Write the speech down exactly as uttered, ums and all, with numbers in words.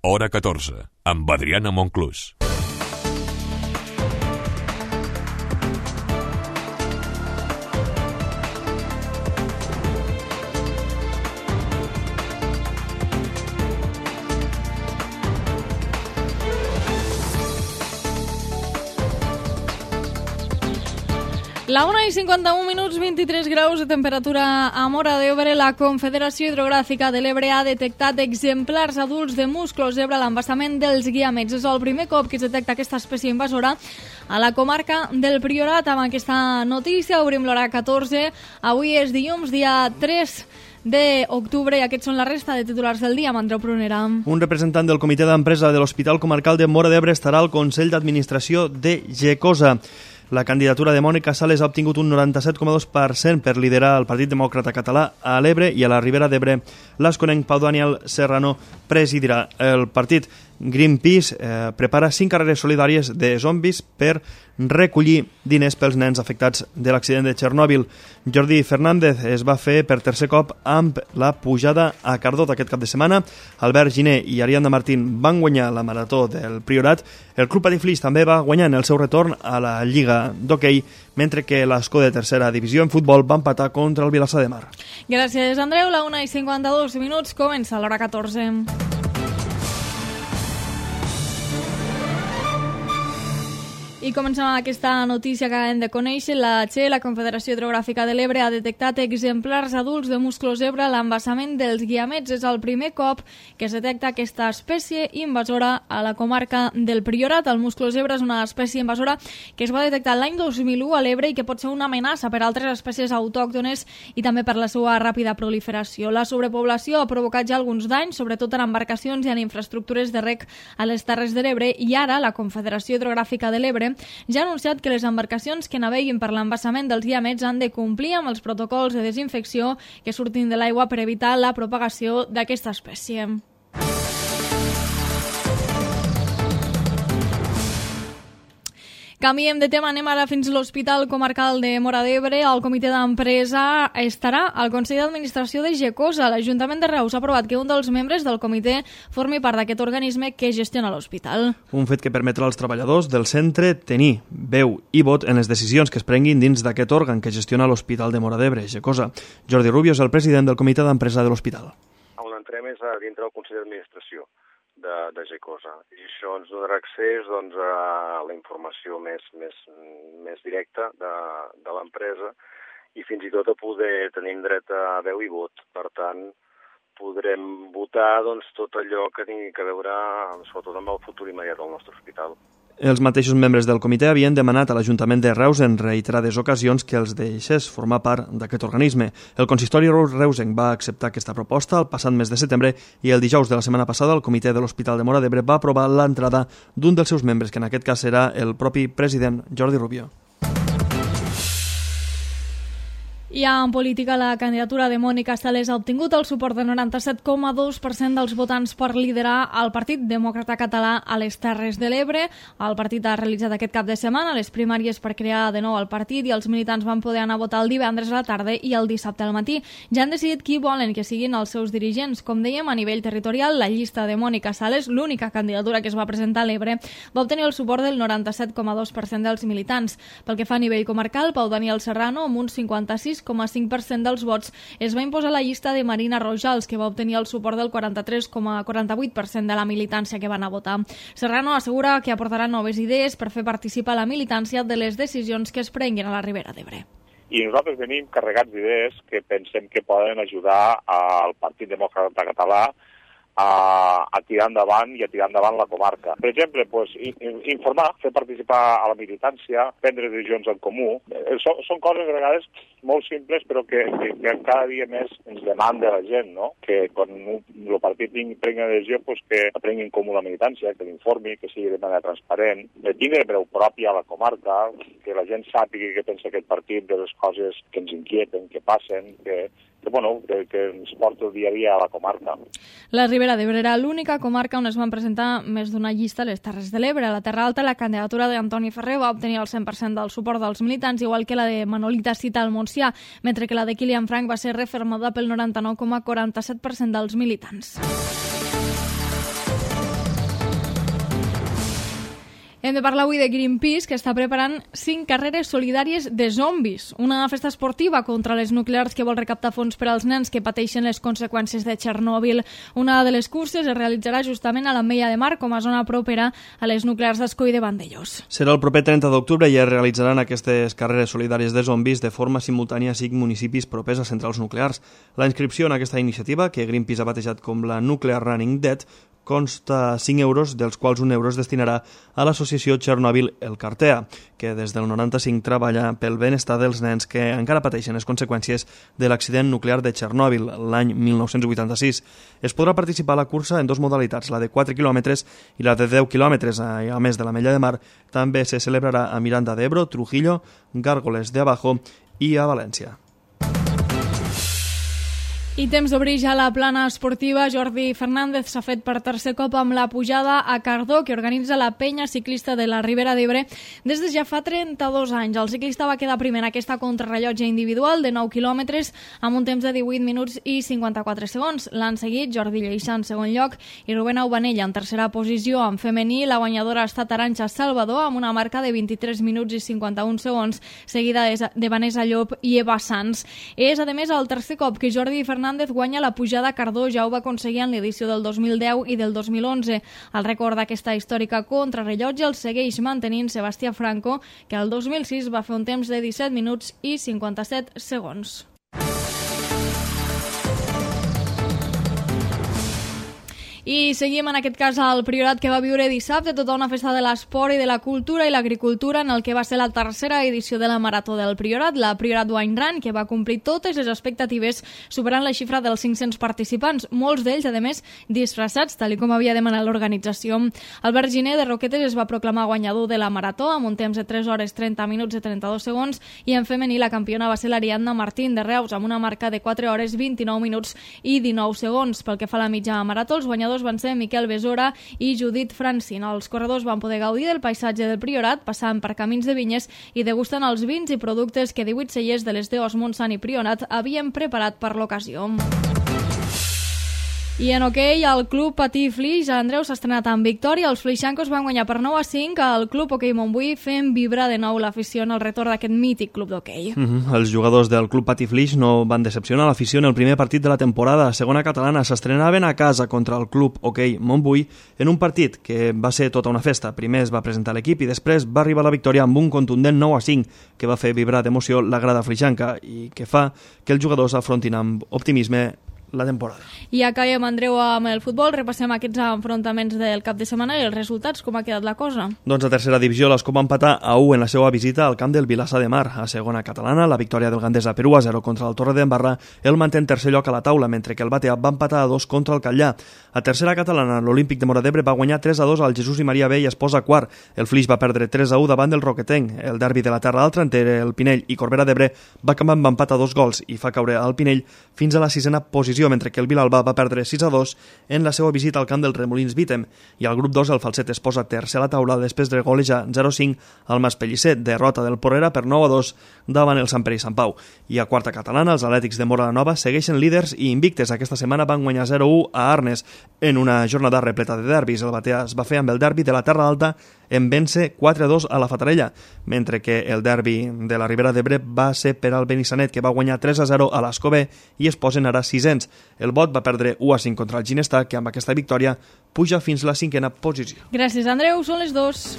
Hora catorze, amb Adriana Monclús. La una i cinquanta-un minuts, vint-i-tres graus de temperatura a Móra d'Ebre. La Confederació Hidrogràfica de l'Ebre ha detectat exemplars adults de musclo zebra a l'embassament dels Guiamets. És el primer cop que es detecta aquesta espècie invasora a la comarca del Priorat. Amb aquesta notícia obrim l'hora catorze. Avui és dilluns, dia tres d'octubre, i aquests són la resta de titulars del dia amb Andreu Prunera. Un representant del comitè d'empresa de l'Hospital Comarcal de Móra d'Ebre estarà al Consell d'Administració de Gecosa. La candidatura de Mònica Sales ha obtingut un noranta-set coma dos per cent per liderar el Partit Demòcrata Català a l'Ebre, i a la Ribera d'Ebre l'esconenc Pau Daniel Serrano presidirà el partit. Greenpeace eh, prepara cinc carreres solidàries de zombis per recollir diners pels nens afectats de l'accident de Txernòbil. Jordi Fernández es va fer per tercer cop amb la pujada a Cardot aquest cap de setmana. Albert Giner i Ariadna Martín van guanyar la marató del Priorat. El Club Patiflix també va guanyar en el seu retorn a la Lliga d'Hoquei, mentre que l'Escó de tercera divisió en futbol va empatar contra el Vilassar de Mar. Gràcies, Andreu. La una i cinquanta-dos minuts, comença l'hora catorze. I comencem amb aquesta notícia que acabem de conèixer. La Che, la Confederació Hidrogràfica de l'Ebre, ha detectat exemplars adults de musclo zebra a l'embassament dels Guiamets. És el primer cop que es detecta aquesta espècie invasora a la comarca del Priorat. El musclo zebra és una espècie invasora que es va detectar l'any dos mil u a l'Ebre i que pot ser una amenaça per a altres espècies autòctones i també per la seva ràpida proliferació. La sobrepoblació ha provocat ja alguns danys, sobretot en embarcacions i en infraestructures de rec a les Terres de l'Ebre, i ara la Confederació Hidrogràfica de l'Ebre ja ha anunciat que les embarcacions que naveguin per l'embassament dels Guiamets han de complir amb els protocols de desinfecció que surtin de l'aigua per evitar la propagació d'aquesta espècie. Canviem de tema, anem ara fins a l'Hospital Comarcal de Móra d'Ebre. El comitè d'empresa estarà al Consell d'Administració de Gecosa. L'Ajuntament de Reus ha aprovat que un dels membres del comitè formi part d'aquest organisme que gestiona l'hospital. Un fet que permetrà als treballadors del centre tenir veu i vot en les decisions que es prenguin dins d'aquest òrgan que gestiona l'Hospital de Móra d'Ebre, Gecosa. Jordi Rubio és el president del comitè d'empresa de l'hospital. On entrem és a dintre del Consell d'Administració de, de Gecosa, i això ens donarà accés doncs, a la informació més, més, més directa de, de l'empresa i fins i tot a poder tenir dret a veu i vot. Per tant, podrem votar doncs, tot allò que tingui a veure sobretot amb el futur immediat del nostre hospital. Els mateixos membres del comitè havien demanat a l'Ajuntament de Reus en reiterades ocasions que els deixés formar part d'aquest organisme. El consistori reusenc va acceptar aquesta proposta el passat mes de setembre i el dijous de la setmana passada el comitè de l'Hospital de Móra d'Ebre va aprovar l'entrada d'un dels seus membres, que en aquest cas serà el propi president Jordi Rubio. I en política, la candidatura de Mònica Sales ha obtingut el suport del noranta-set coma dos per cent dels votants per liderar el Partit Demòcrata Català a les Terres de l'Ebre. El partit ha realitzat aquest cap de setmana les primàries per crear de nou el partit i els militants van poder anar a votar el divendres a la tarda i el dissabte al matí. Ja han decidit qui volen que siguin els seus dirigents. Com dèiem, a nivell territorial, la llista de Mònica Sales, l'única candidatura que es va presentar a l'Ebre, va obtenir el suport del noranta-set coma dos per cent dels militants. Pel que fa a nivell comarcal, Pau Daniel Serrano, amb un cinquanta-sis coma cinc per cent dels vots, es va imposar la llista de Marina Rojals, que va obtenir el suport del quaranta-tres coma quaranta-vuit per cent de la militància que van a votar. Serrano assegura que aportarà noves idees per fer participar la militància de les decisions que es prenguin a la Ribera d'Ebre. I nosaltres venim carregats d'idees que pensem que poden ajudar al Partit Demòcrata Català a, a tirar endavant i a tirar endavant la comarca. Per exemple, pues, informar, fer participar a la militància, prendre decisions en comú. Són, són coses a vegades molt simples, però que, que, que cada dia més ens demanda la gent, no? Que quan el partit prengui una decisió, pues, que la prengui en comú la militància, que l'informi, que sigui de manera transparent, que tingui veu pròpia a la comarca, que la gent sàpiga què pensa aquest partit de les coses que ens inquieten, que passen, que que, bueno, que, que ens porta el dia a dia a la comarca. La Ribera d'Ebre era l'única comarca on es van presentar més d'una llista a les Terres de l'Ebre. A la Terra Alta, la candidatura d'Antoni Ferrer va obtenir el cent per cent del suport dels militants, igual que la de Manolita Cita al Montsià, mentre que la de Kilian Frank va ser refermada pel noranta-nou coma quaranta-set per cent dels militants. Hem de parlar avui de Greenpeace, que està preparant cinc carreres solidàries de zombis, una festa esportiva contra les nuclears que vol recaptar fons per als nens que pateixen les conseqüències de Txernòbil. Una de les curses es realitzarà justament a l'Ametlla de Mar, com a zona propera a les nuclears d'Ascó i de Vandellòs. Serà el proper trenta d'octubre i es realitzaran aquestes carreres solidàries de zombis de forma simultània a cinc municipis propers a centrals nuclears. La inscripció en aquesta iniciativa, que Greenpeace ha batejat com la Nuclear Running Dead, consta cinc euros, dels quals un euro es destinarà a l'associació Txernòbil El Cartea, que des del noranta-cinc treballa pel benestar dels nens que encara pateixen les conseqüències de l'accident nuclear de Txernòbil l'any mil nou-cents vuitanta-sis. Es podrà participar a la cursa en dues modalitats, la de quatre quilòmetres i la de deu quilòmetres. A més de l'Ametlla de Mar, també se celebrarà a Miranda d'Ebro, Trujillo, Gárgoles de Abajo i a València. I temps d'obrir ja la plana esportiva. Jordi Fernández s'ha fet per tercer cop amb la pujada a Cardó, que organitza la penya ciclista de la Ribera d'Ebre des de ja fa trenta-dos anys. El ciclista va quedar primer en aquesta contrarrellotge individual de nou quilòmetres amb un temps de divuit minuts i cinquanta-quatre segons. L'han seguit Jordi Lleixà en segon lloc i Rubén Aubanella en tercera posició. En femení, la guanyadora ha estat Arantxa Salvador amb una marca de vint-i-tres minuts i cinquanta-un segons, seguida de Vanessa Llop i Eva Sanz. És, a més, el tercer cop que Jordi Fernández Fernández guanya la pujada a Cardó, ja ho va aconseguir en l'edició del dos mil deu i del dos mil onze. El rècord d'aquesta històrica contrarrellotge el segueix mantenint Sebastià Franco, que el dos mil sis va fer un temps de disset minuts i cinquanta-set segons. I seguim en aquest cas al Priorat, que va viure dissabte tota una festa de l'esport i de la cultura i l'agricultura en el que va ser la tercera edició de la Marató del Priorat, la Priorat Wine Run, que va complir totes les expectatives, superant la xifra dels cinc-cents participants, molts d'ells, a més, disfressats, tal com havia demanat l'organització. Albert Giner de Roquetes es va proclamar guanyador de la Marató amb un temps de tres hores trenta minuts i trenta-dos segons, i en femení la campiona va ser l'Ariadna Martín de Reus amb una marca de quatre hores vint-i-nou minuts i dinou segons. Pel que fa a la mitja marató, els guanyadors van ser Miquel Besora i Judit Francin. Els corredors van poder gaudir del paisatge del Priorat, passant per camins de vinyes i degustant els vins i productes que divuit cellers de les Deos Montsant i Prionat havien preparat per l'ocasió. I en hoquei, el club Patí Flix, Andreu, s'ha estrenat amb victòria. Els flixancos van guanyar per nou a cinc al club Hoquei Montbui, fent vibrar de nou l'afició en el retorn d'aquest mític club d'hoquei. Mm-hmm. Els jugadors del club Patí Flix no van decepcionar l'afició en el primer partit de la temporada. A segona catalana s'estrenaven a casa contra el club Hoquei Montbui en un partit que va ser tota una festa. Primer es va presentar l'equip i després va arribar la victòria amb un contundent nou a cinc que va fer vibrar d'emoció la grada flixanca i que fa que els jugadors afrontin amb optimisme la temporada. I acabem, Andreu, amb el futbol. Repassem aquests enfrontaments del cap de setmana i els resultats, com ha quedat la cosa. Doncs a tercera divisió l'Escó va empatar a u en la seva visita al camp del Vilassar de Mar. A segona catalana, la victòria del Gandesa per u a zero contra el Torredembarra el manté en tercer lloc a la taula, mentre que el Batea va empatar a dos contra el Catllà. A tercera catalana, l'Olímpic de Móra d'Ebre va guanyar tres a dos al Jesús i Maria B i es posa quart. El Flix va perdre tres a u davant del Roquetenc. El derbi de la Terra Alta entre el Pinell i Corbera d'Ebre va acabar amb empat a dos gols i fa caure al Pinell fins a la sisena posició, mentre que el Vilalba va perdre sis a dos en la seva visita al camp del Remolins Vítem, i al grup dos el Falset es posa tercer a la taula després de golejar zero a cinc al Maspellisset, derrota del Porrera per nou a dos davant el Sant Pere i Sant Pau. I a quarta catalana, els Atlètics de Móra la Nova segueixen líders i invictes. Aquesta setmana van guanyar zero a u a Arnes en una jornada repleta de derbis. El Batea es va fer amb el derbi de la Terra Alta en vèncer quatre a dos a la Fatarella, mentre que el derbi de la Ribera d'Ebre va ser per al Benissanet, que va guanyar tres a zero a l'Escobé i es posen ara sisens. El Bot va perdre u a cinc contra el Ginestar, que amb aquesta victòria puja fins a la cinquena posició. Gràcies, Andreu. Són les dos.